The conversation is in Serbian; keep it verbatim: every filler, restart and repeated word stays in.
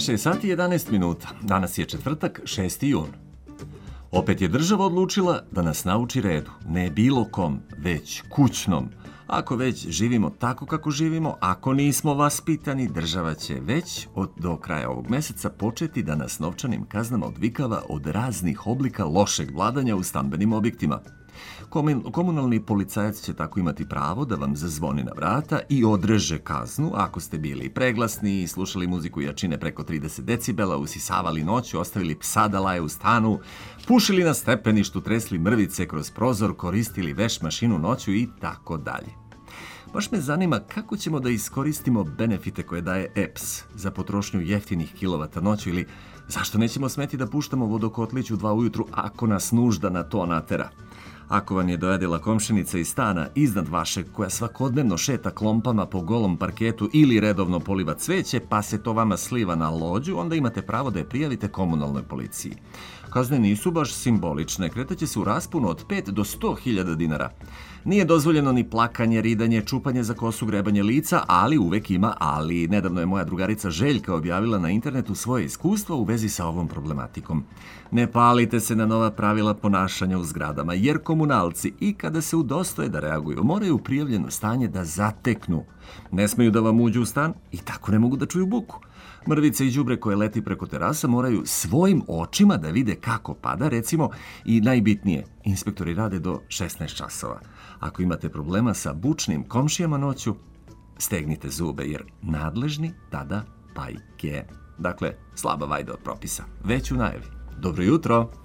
šest sati i jedanaest minuta. Danas je četvrtak, šesti jun. Opet je država odlučila da nas nauči redu. Ne bilo kom, već kućnom. Ako već živimo tako kako živimo, ako nismo vaspitani, država će već od do kraja ovog meseca početi da nas novčanim kaznama odvikava od raznih oblika lošeg vladanja u stambenim objektima. Komunalni policajac će tako imati pravo da vam zazvoni na vrata i odreže kaznu ako ste bili preglasni, slušali muziku jačine preko trideset decibela, usisavali noću, ostavili psa da laje u stanu, pušili na stepeništu, tresli mrvice kroz prozor, koristili veš mašinu noću i tako dalje. Baš me zanima kako ćemo da iskoristimo benefite koje daje E P S za potrošnju jeftinih kilovata noću ili zašto nećemo smeti da puštamo vodokotlić u dva ujutru ako nas nužda na to natera. Ako vam je dojedila komšinica iz stana iznad vašeg koja svakodnevno šeta klompama po golom parketu ili redovno poliva cveće pa se to vama sliva na lođu, onda imate pravo da je prijavite komunalnoj policiji. Kazne nisu baš simbolične, kretaće se u rasponu od pet do sto hiljada dinara. Nije dozvoljeno ni plakanje, ridanje, čupanje za kosu, grebanje lica, ali uvek ima ali. Nedavno je moja drugarica Željka objavila na internetu svoje iskustvo u vezi sa ovom problematikom. Ne palite se na nova pravila ponašanja u zgradama, jer komunalci i kada se udostoje da reaguju, moraju prijavljeno stanje da zateknu. Ne smeju da vam uđu u stan i tako ne mogu da čuju buku. Mrvice i đubre koje leti preko terasa moraju svojim očima da vide kako pada, recimo, i najbitnije, inspektori rade do šesnaest časova. Ako imate problema sa bučnim komšijama noću, stegnite zube, jer nadležni tada pajke. Dakle, slaba vajda od propisa. Već u najavi. Dobro jutro!